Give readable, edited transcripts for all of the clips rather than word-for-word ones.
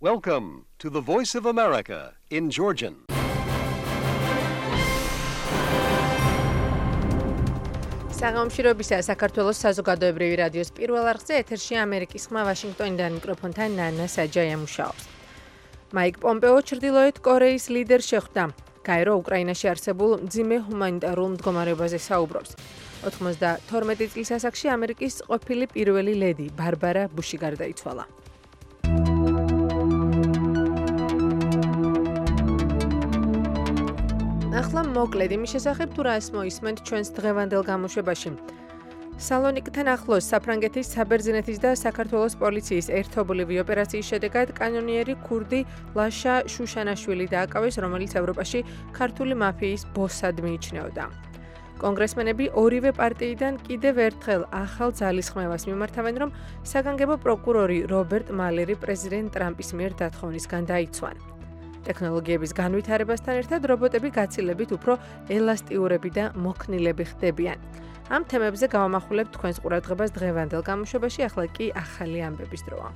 Welcome to the Voice of America in Georgian. საღამოშრობისა საქართველოს საზოგადოებრივი რადიოს პირველ არხზე ეთერში ამერიკის ხმა ვაშინგტონიდან მიკროფონთან ნანა საჯაია მუშაობს. მაიკ პომპეო ჩრდილოეთ კორეის ლიდერს შეხვდა. კაირო უკრაინაში არსებულ მძიმე ჰუმანიტარულ მდგომარეობაზე საუბრობს. 92 წლის ასაკში ამერიკის ყოფილი პირველი ლედი ბარბარა ბუში გარდაიცვალა. ახლა მოკლედ იმის შესახებ თუ რა მოისმენთ ჩვენს დღევანდელ გამოშვებაში. სალონიკთან ახლოს საფრანგეთის საბერძნეთის და საქართველოს პოლიციის ერთობლივი ოპერაციის შედეგად კანონიერი ქურდი ლაშა შუშანაშვილი დააკავეს, რომელიც ევროპაში ქართული მაფიის ბოსად მიიჩნეოდა. კონგრესმენები ორივე პარტიიდან კიდევ ერთხელ ახალ ძალისხმევას მიმართავენ, რომ საგანგებო პროკურორი რობერტ მალერი პრეზიდენტ ტრამპის მიერ დათხოვნისგან დაიცვან. ტექნოლოგიების განვითარებასთან ერთად რობოტები გაცილებით უფრო ელასტიურები და მოქნილები ხდებიან. ამ თემებზე გავამახვილებთ თქვენს ყურადღებას დღევანდელ გამოშვებაში, ახლა კი ახალი ამბების დროა.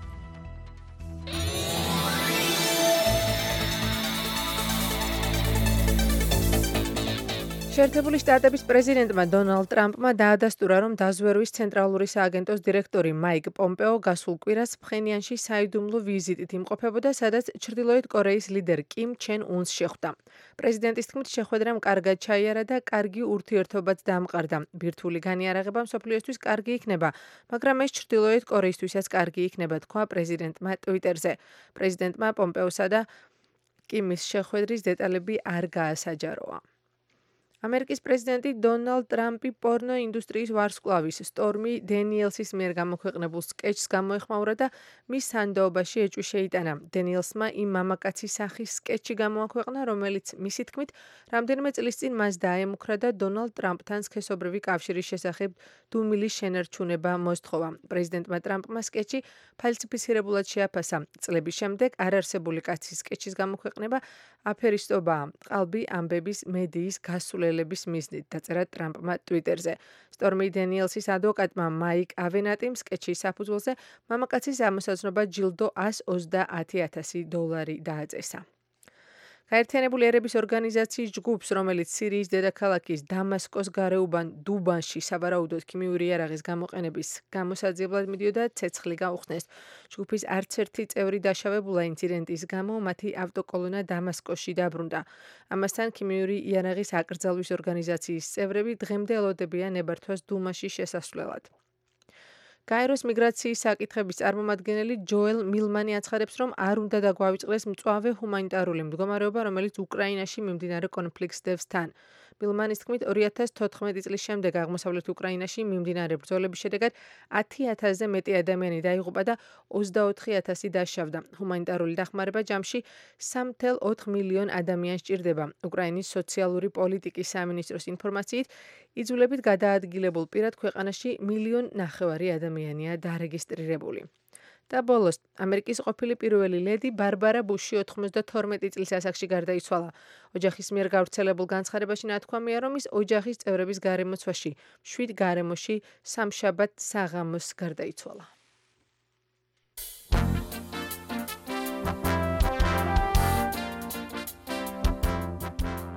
შეერთებული შტატების პრეზიდენტმა დონალდ ტრამპმა დაადასტურა, რომ დაზვერვის ცენტრალური სააგენტოს დირექტორი მაიკ პომპეო გასულ კვირას ფხენიანში საიდუმლო ვიზიტით იმყოფებოდა, სადაც ჩრდილოეთ კორეის ლიდერ კიმ ჩენ უნს შეხვდა. პრეზიდენტის თქმით, შეხვედრამ კარგად ჩაიარა და კარგი ურთიერთობაც დამყარდა. ბირთვული განიარაღება მსოფლიოსთვის კარგი იქნება, მაგრამ ეს ჩრდილოეთ კორეისთვისაც კარგი იქნება, თქვა პრეზიდენტმა ტვიტერზე. პრეზიდენტმა პომპეოსა და კიმის შეხვედრის დეტალები არ გაასაჯაროა. ამერიკის პრეზიდენტი დონალდ ტრამპი პორნო ინდუსტრიის ვარსკვლავის სტორმი დენიელსის მიერ გამოქვეყნებულ სკეჩს გამოეხმაურა და მის სანდოობაში ეჭვი შეიტანა. დენიელსმა იმ მამაკაცის სახის სკეჩი გამოაქვეყნა, რომელიც მისი თქმით რამდენიმე წლის წინ მას დაემუქრა და დონალდ ტრამპთან სქესობრივი კავშირის შესახებ დუმილის შენარჩუნება მოსთხოვა. პრეზიდენტმა ტრამპმა სკეჩი ფალსიფიცირებულად შეაფასა. წლების შემდეგ არარსებული კაცის სკეჩის გამოქვეყნება აფერისტობაა, ყალბი ამბების მედიის გასულელების მიზნით, დაწერა ტრამპმა ტვიტერზე. სტორმი დენიელსის ადვოკატმა მაიკ ავენატიმ სკეჩის საფუძველზე მამაკაცის ამოსაზრნობა ჯილდო $120,000 დააწესა. გაერთიანებული ერების ორგანიზაციის ჯგუფს, რომელიც სირიის დედაქალაქის დამასკოს გარეუბან დუბანში სავარაუდოდ ქიმიური იარაღის გამოყენების გამოსაძიებლად მიდიოდა, ცეცხლი გაუხსნეს. ჯგუფის არც ერთი წევრი დაშავებულა ინციდენტის გამო, მათი ავტოკოლონა დამასკოში დაბრუნდა. ამასთან ქიმიური იარაღის აკრძალვის ორგანიზაციის წევრები დღემდე ელოდებიან ნებართვას დუმაში შესასვლელად. კაიროს მიგრაციის საკითხების წარმომადგენელი ჯოელ მილმანი აცხადებს, რომ არ უნდა დაგვავიწყდეს მწვავე ჰუმანიტარული მდგომარეობა, რომელიც უკრაინაში მიმდინარე კონფლიქტს დევს თან. მილმანის თქმით, 2014 წლის შემდეგ აღმოსავლეთ უკრაინაში მიმდინარე ბრძოლების შედეგად 10,000-ზე მეტი ადამიანი დაიღუპა და 24,000 დაშავდა. ჰუმანიტარული დახმარება ჯამში 3,4 მილიონ ადამიანს სჭირდება. უკრაინის სოციალური პოლიტიკის სამინისტროს ინფორმაციით, იძულებით გადაადგილებულ პირად ქვეყანაში 1,5 მილიონ ადამიანია დარეგისტრირებული. და ბოლოს, ამერიკის ყოფილი პირველი ლედი ბარბარა ბუში 92 წლის ასაკში გარდაიცვალა. ოჯახის მიერ გავრცელებულ განცხადებაში ნათქვამია, რომ ის ოჯახის წევრების გარემოცვაში 7 გარემოში სამშაბათ საღამოს გარდაიცვალა.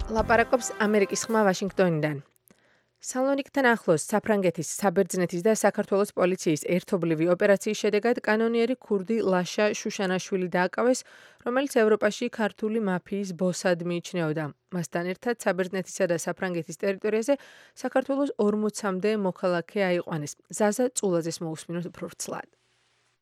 ლაპარაკობს ამერიკის ხმა ვაშინგტონიდან. სალონიკთან ახლოს საფრანგეთის, საბერძნეთის და საქართველოს პოლიციის ერთობლივი ოპერაციის შედეგად კანონიერი ქურდი ლაშა შუშანაშვილი დააკავეს, რომელიც ევროპაში ქართული მაფიის ბოსად მიიჩნეოდა. მასთან ერთად საბერძნეთისა და საფრანგეთის ტერიტორიაზე საქართველოს 40-მდე მოქალაქე აიყვანეს. ზაზა წულაძეს მოусმინოთ უფრო ვრცლად.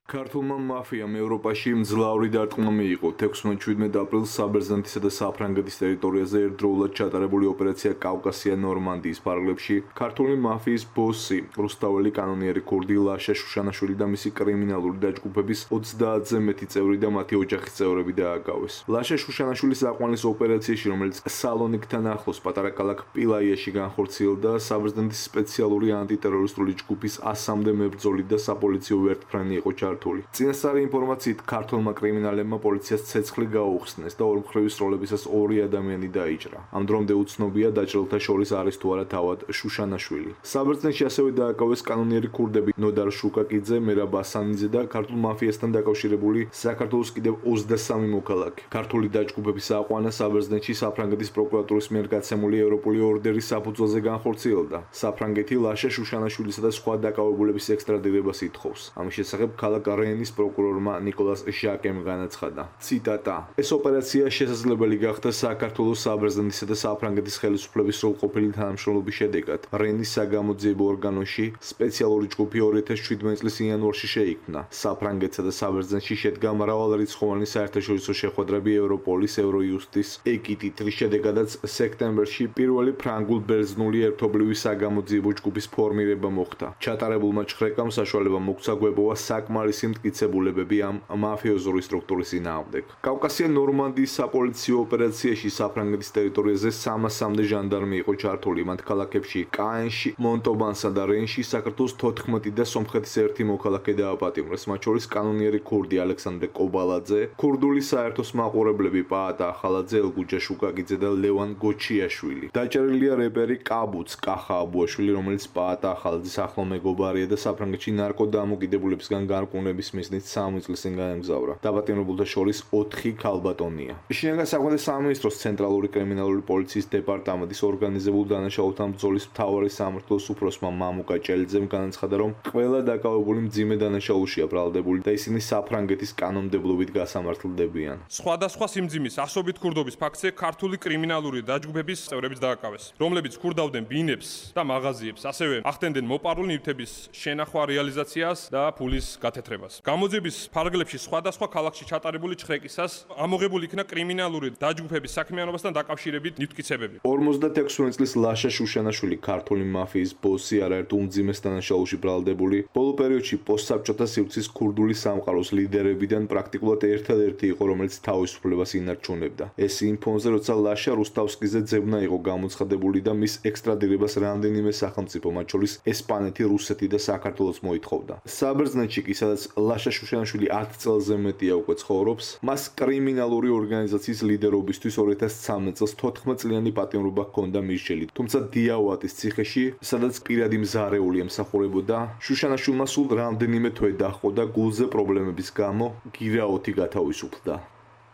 ქართულმა მაფიამ ევროპაში მძლავრი დარტყმა მიიღო. 16-17 აპრილს საბერძნეთისა და საფრანგეთის ტერიტორიაზე ერთდროულად ჩატარებული ოპერაცია კავკასია ნორმანდიის ფარგლებში ქართული მაფიის ბოსი, რუსთაველი კანონიერი ქურდი ლაშა შუშანაშვილი და მისი კრიმინალური დაჯგუფების 30-ზე მეტი წევრი და მათი ოჯახის წევრები დააკავეს. ლაშა შუშანაშვილის აყვანის ოპერაციაში, რომელიც სალონიკთან ახლოს პატარა ქალაქ პილაიაში განხორციელდა, საბერძნეთის სპეციალური ანტიტერორისტული ჯგუფის 100-მდე მებრძოლი და საპოლიციო ვერტმფრენი იყო ჩართული. ჩართული. წინასწარი ინფორმაციით ქართველმა კრიმინალებმა პოლიციას ცეცხლი გაუხსნეს და ორმხრივის როლებისას 2 ადამიანი დაიჭრა. ამ დრომდე უცნობია დაჭრილთა შორის არის თუ არა თავად შუშანაშვილი. საბერძნეთში ასევე დააკავეს კანონიერი ქურდები ნოდარ შუკაკიძე, მერაბ ასანიძე და ქართულ მაფიასთან დაკავშირებული საქართველოს კიდევ 23 მოქალაქე. ქართული დაჯგუფების აყვანა საბერძნეთში საფრანგეთის პროკურატურის მიერ გაცემული ევროპული ორდერის საფუძველზე განხორციელდა. საფრანგეთი ლაშა შუშანაშვილისა და სხვა დაკავებულების ექსტრადირებას ითხოვს. ამის შესახებ ქალაქ რენის პროკურორმა ნიკოლას ჟაკემ განაცხადა. ციტატა: ეს ოპერაცია შესაძლებელი გახდა საქართველოს საბერძნეთისა და საფრანგეთის ხელისუფლების სრულყოფილი თანამშრომლობის შედეგად. რენის საგამოძიებო ორგანოში სპეციალური ჯგუფი 2017 წლის იანვარში შეიქმნა. საფრანგეთსა და საბერძნეთში შედგა მრავალრიცხოვანი საერთაშორისო შეხვედრები ევროპოლის, ევროიუსტის, ეკიტით, რის შედეგადაც სექტემბერში პირველი ფრანგულ-ბერძნული ერთობლივი საგამოძიებო ჯგუფის ფორმირება მოხდა. ჩატარებულმა ჭხრეკამ საშუალება მოგცა გვეპოვა საკმარისი მტკიცებულებები ამ მაფიოზური სტრუქტურის წინააღმდეგ. კავკასია ნორმანდიის საპოლიციო ოპერაციაში საფრანგეთის ტერიტორიაზე 300-მდე ჟანდარმი იყო ჩართული. მათ ქალაქებში კაენში, მონტობანსა და რენში საქართველოს 14 და სომხეთის 1 მოქალაქე დააპატიმრეს, მათ შორის კანონიერი ქურდი ალექსანდრე კობალაძე, ქურდული საერთოს მაყურებლები პაატა ახალაძე, ელგუჯა შუკაკიძე და ლევან გოჩიაშვილი. დაჭერილია რეპერი კაბუც კახა აბუაშვილი, რომელიც პაატა ახალაძის ახლო მეგობარია და საფრანგეთში ნარკოდამოკიდებულებისგან გარკვევნების მიზნით 3 წლის წინ გაემგზავრა. დაპატიმრებულთა შორის 4 ქალბატონია. შინაგან საქმეთა სამინისტროს ცენტრალური კრიმინალური პოლიციის დეპარტამენტის ორგანიზებულ დანაშაულთა ბრძოლის მთავარი სამმართველოს უფროსმა მამუკა ჭელიძემ განაცხადა, რომ ყველა დაკავებული მძიმე დანაშაულშია ბრალდებული და ისინი საფრანგეთის კანონმდებლობით გასამართლდებიან. სხვადასხვა სიმძიმის ასობით ქურდობის ფაქტზე ქართული კრიმინალური დაჯგუფების წევრებიც დააკავეს, რომლებიც ქურდავდნენ ბინებს და მაღაზიებს, ასევე ახდენდნენ მოპარული ნივთების შენახვა რეალიზაციას და ფულის გათეთრებას. გამოძიების ფარგლებში სხვადასხვა ქალაქში ჩატარებული ჭხრეკისას ამოღებული იქნა კრიმინალური დაჯგუფების საქმიანობასთან დაკავშირებით ნივთკიცებები. 56 წლის ლაშა შუშანაშვილი ქართული მაფიის ბოსი, არაერთ უმძიმეს დანაშაულში ბრალდებული, ბოლო პერიოდში პოსტსაბჭოთა სივრცის ქურდული სამყაროს ლიდერებიდან პრაქტიკულად ერთადერთი იყო, რომელიც თავისუფლებას ინარჩუნებდა. ეს იმ ფონზე, როცა ლაშა რუსტავსკიზე ძებნა იყო გამოცხადებული და მის ექსტრადირებას რამდენიმე სახელმწიფო, მათ შორის ესპანეთი, რუსეთი და საქართველოც მოითხოვდა. საბერძნეთში კი, სადაც ლაშა შუშანაშვილი 10 წელზე მეტია უკვე ცხოვრობს, მას კრიმინალური ორგანიზაციის ლიდერობისთვის 2013 წელს 14 წლიანი პატიმრობა ჰქონდა მირჩელი. თუმცა დიავატის ციხეში, სადაც პირადი მზარეული ემსახურებოდა, შუშანაშვილმა სულ რამდენიმე თვე დაჰყო და გულზე პრობლემების გამო გირაოთი გათავისუფლდა.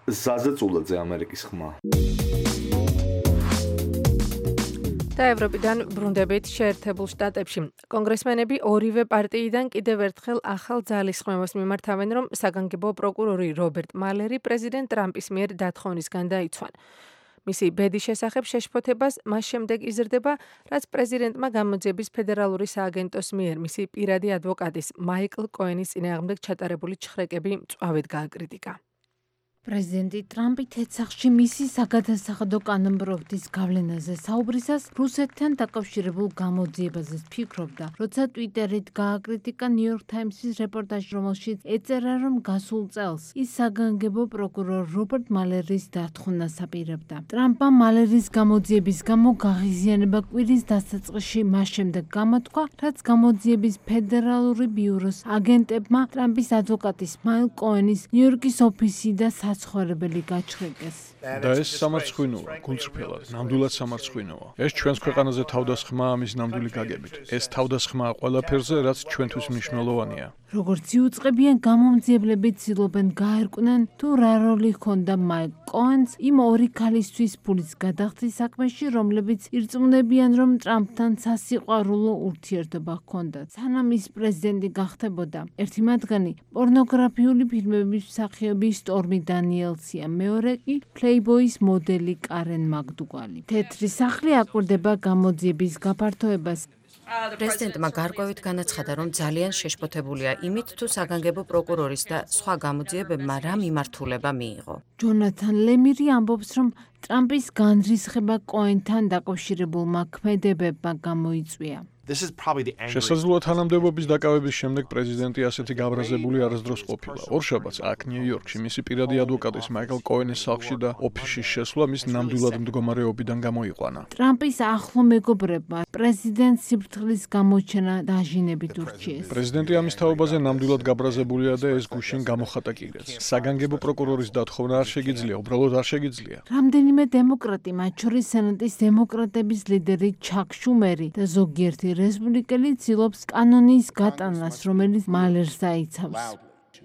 ზაზა წულაძე, ამერიკის ხმა. და ევროპიდან ბრუნდებით შეერთებულ შტატებში. კონგრესმენები ორივე პარტიიდან კიდევ ერთხელ ახალ ძალისხმევას მიმართავენ, რომ საგანგებო პროკურორი რობერტ მალერი პრეზიდენტ ტრამპის მიერ დათხოვნისგან დაიცვან. მისი ბედის შესახებ შეშფოთებას მას შემდეგ იზრდება, რაც პრეზიდენტმა გამოძიების ფედერალური სააგენტოს მიერ მისი პირადი ადვოკატის მაიკლ კოენის წინააღმდეგ ჩატარებული ჭხრეკები მწვავედ გააკრიტიკა. პრეზიდენტი ტრამპი თეცახში მისი საგადასახადო კანონპროექტის გავლენაზე საუბრისას რუსეთთან დაკავშირებულ გამოძიებაზე ფიქრობდა, როცა ტვიტერით გააკრიტიკა ნიუ-იორკ თაიმსის რეპორტაჟი, რომელშიც ეწერა, რომ გასულ წელს ის საგანგებო პროკურორ რობერტ მალერის დათხოვნას აპირებდა. ტრამპმა მალერის გამოძიების გამო გაღიზიანება კვირის დასაწყისში მას შემდეგ გამოთქვა, რაც გამოძიების ფედერალური ბიუროს აგენტებმა ტრამპის ადვოკატის მაიკლ კოენის ნიუ-იორკის ოფისი და საცხოვრებელი გაჩხრეკეს. და ეს სამარცხვინოა, გულწრფელად, ნამდვილად სამარცხვინოა. ეს ჩვენს ქვეყანაზე თავდასხმაა ამის ნამდვილი გაგებით. ეს თავდასხმაა ყველაფერზე, რაც ჩვენთვის მნიშვნელოვანია. როგორც იუწყებიან, გამომძიებლები ცდილობენ გაერკვნენ, თუ რა როლი ჰქონდა მაიკლ კოენს იმ ორი ქალისთვის ფულის გადახდის საქმეში, რომლებიც ირწმუნებიან, რომ ტრამპთან სასიყვარულო ურთიერთობა ჰქონდათ. სანამ ის პრეზიდენტი გახდებოდა, ერთი მათგანი პორნოგრაფიული ფილმების მსახიობი სტორმი დანიელსია, მეორე კი პლეიბოის მოდელი კარენ მაგდუგალი. თეთრი სახლი აკვირდება გამოძიების გაფართოებას. პრეზიდენტმა გარკვევით განაცხადა, რომ ძალიან შეშფოთებულია იმით, თუ საგანგებო პროკურორის და სხვა გამოძიებებმა რა მიმართულება მიიღო. ჯონათან ლემირი ამბობს, რომ ტრამპის განრისხება კოენთან დაკავშირებულმა ქმედებებმა გამოიწვია. შესაძლოა თანამდებობის დაკავების შემდეგ პრეზიდენტი ასეთი გაბრაზებული არასდროს ყოფილა. ორშაბათს აქ ნიუ-იორკში მისი პირადი ადვოკატის მაიკლ კოენის სახლში და ოფისში შესვლა მის ნამდვილად მდგომარეობიდან გამოიყვანა. ტრამპის ახლო მეგობრებმა პრეზიდენტს სიფრთხილის გამოჩენა დაჟინებით ურჩიეს. პრეზიდენტი ამის თაობაზე ნამდვილად გაბრაზებულია და ეს გუშინ გამოხატა კიდეც. საგანგებო პროკურორის დათხოვნა არ შეგიძლია, უბრალოდ არ შეგიძლია. რამდენიმე დემოკრატი, მათ შორის სენატის დემოკრატების ლიდერი ჩაკ შუმერი და ზოგიერთი რესპუბლიკელი ცდილობს კანონის გატანას, რომელიც მალერს აიცავს.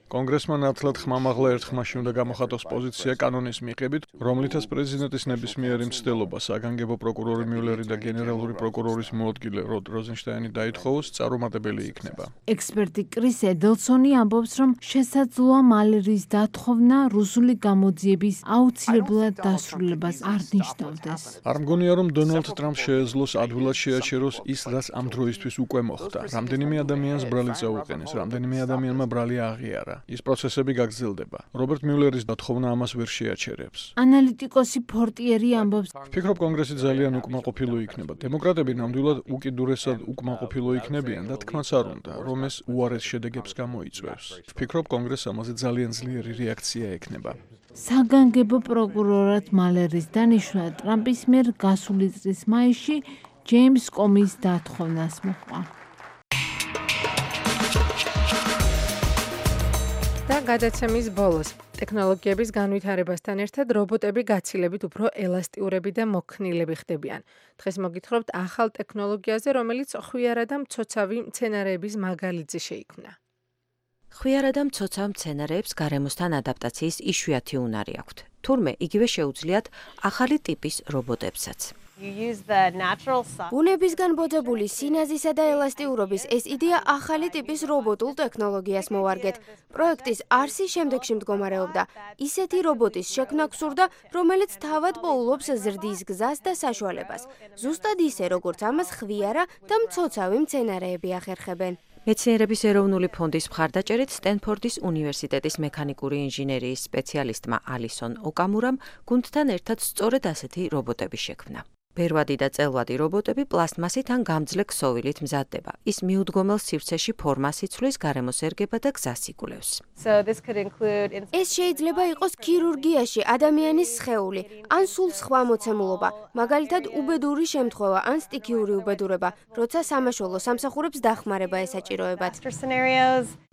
კონგრესმა ნათლად ხმამაღლა ერთ ხმაში უნდა გამოხატოს პოზიცია კანონის მიღებით, რომლითაც პრეზიდენტის ნებისმიერი მცდელობა საგანგებო პროკურორი მიულერი და გენერალური პროკურორის მოადგილე როდ როზენშტაინი დაითხოვოს წარუმატებელი იქნება. ექსპერტი კრის ედელსონი ამბობს, რომ შესაძლოა მალერის დათხოვნა რუსული გამოძიების აუცილებლად დასრულებას არ ნიშნავდეს. არ მგონია, რომ დონალდ ტრამპს შეეძლოს ადვილად შეაჩეროს ის, რაც ამ დროისთვის უკვე მოხდა. რამდენიმე ადამიანს ბრალი წაუყენეს, რამდენიმე ადამიანმა ბრალი აღიარა. ის პროცესები გაგრძელდება. რობერტ მიულერის დათხოვნა ამას ვერ შეაჩერებს. ანალიტიკოსი ფორტიერი ამბობს, ვფიქრობ, კონგრესი ძალიან უკმაყოფილო იქნება. დემოკრატები ნამდვილად უკიდურესად უკმაყოფილო იქნებიან და თქმაც არ უნდა, რომ ეს უარეს შედეგებს გამოიწვევს. ვფიქრობ, კონგრესს ამაზე ძალიან ძლიერი რეაქცია ექნება. საგანგებო პროკურორად მალერის დანიშვნა ტრამპის მიერ გასული წლის მაისში ჯეიმს კომის დათოვნას მოჰყვა. და გადაცემის ბოლოს ტექნოლოგიების განვითარებასთან ერთად რობოტები გაცილებით უფრო ელასტიურები და მოქნილები ხდებიან. დღეს მოგითხრობთ ახალ ტექნოლოგიაზე, რომელიც ხვიარა და მცოცავი მცენარეების მაგალითზე შეიქმნა. ხვიარა და მცოცავ მცენარეებს გარემოსთან ადაპტაციის იშვიათი უნარი აქვთ. თურმე იგივე შეუძლიათ ახალი ტიპის რობოტებსაც. ბუნებისგან ბოძებული სინაზისა და ელასტიურობის ეს იდეა ახალი ტიპის რობოტულ ტექნოლოგიას მოვარგეთ. პროექტის არსი შემდეგში მდგომარეობდა. ისეთი რობოტის შექმნა გსურდა, რომელიც თავად პოულობს ზრდის გზას და საშუალებას. ზუსტად ისე, როგორც ამას ხვიარა და მცოცავი მცენარეები ახერხებენ. მეცნიერების ეროვნული ფონდის მხარდაჭერით სტენფორდის უნივერსიტეტის მექანიკური ინჟინერიის სპეციალისტმა ალისონ ოკამურამ გუნდთან ერთად სწორედ ასეთი რობოტები შექმნა. ბერვადი და წელვადი რობოტები პლასტმასით ან გამძლე ქსოვილით მზადდება. ის მიუდგომელ სივრცეში ფორმას იცვლის, გარემოს ერგება და გზას იკვლევს. ეს შეიძლება იყოს ქირურგიაში ადამიანის სხეული, ან სულ სხვა მოცემულობა, მაგალითად უბედური შემთხვევა ან სტიქიური უბედურება, როცა სამაშველო სამსახურებს დახმარება ესაჭიროებათ.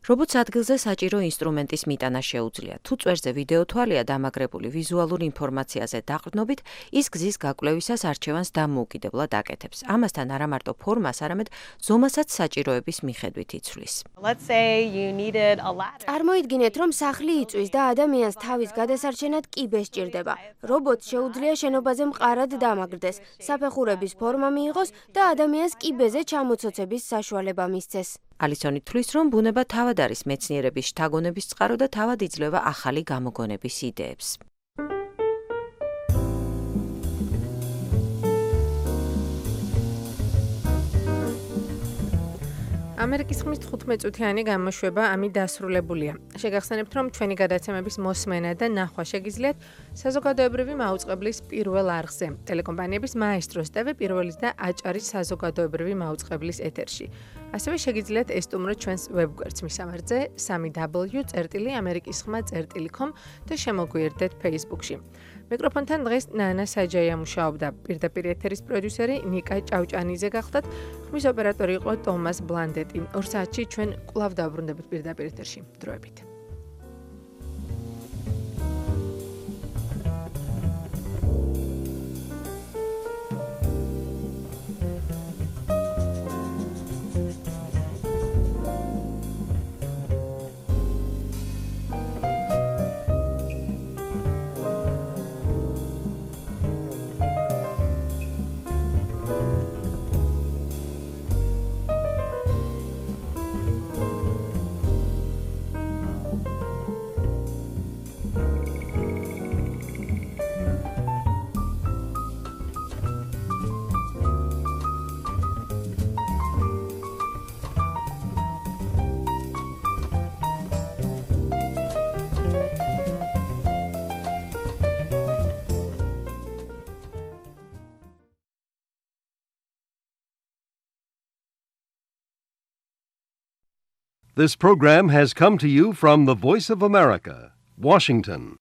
რობოტს ადგილზე საჭირო ინსტრუმენტის მიტანა შეუძლია. თუ წვერზე ვიდეო თვალია დამაგრებული ვიზუალურ ინფორმაციაზე დაყრდნობით, ის გზის გაკვლევისას არჩევანს დამოუკიდებლად აკეთებს. ამასთან არა მარტო ფორმას, არამედ ზომასაც საჭიროების მიხედვით იცვლის. წარმოიდგინეთ, რომ სახლი იწვის და ადამიანს თავის გადასარჩენად კიბე სჭირდება. რობოტს შეუძლია შენობაზე მყარად დამაგრდეს, საფეხურების ფორმა მიიღოს და ადამიანს კიბეზე ჩამოცოცების საშუალება მისცეს. ალისონი თვლის, რომ ბუნება თავად არის მეცნიერების შთაგონების წყარო და თავად იძლევა ახალი გამოგონების იდეებს. ამერიკის ხმის 15 წუთიანი გამოშვება ამით დასრულებულია. შეგახსენებთ, რომ ჩვენი გადაცემების მოსმენა და ნახვა შეგიძლიათ საზოგადოებრივი მაუწყებლის პირველ არხზე, ტელეკომპანიების მაესტროს TV პირველის და აჭარის საზოგადოებრივი მაუწყებლის ეთერში. ასევე შეგიძლიათ ესტუმროთ ჩვენს ვებგვერდს მისამართზე www.amerikiskhma.com და შემოგვიერთდეთ Facebook-ში. მიკროფონთან დღეს ნანა საჯაია მუშაობდა. პირდაპირ ეთერის პროდიუსერი ნიკა ჭავჭანიძე გახლდათ. ხმის ოპერატორი იყო ტომას ბლანდეტი. 2 საათში ჩვენ კვლავ დავბრუნდებით პირდაპირ ეთერში. დროებით. This program has come to you from the Voice of America, Washington.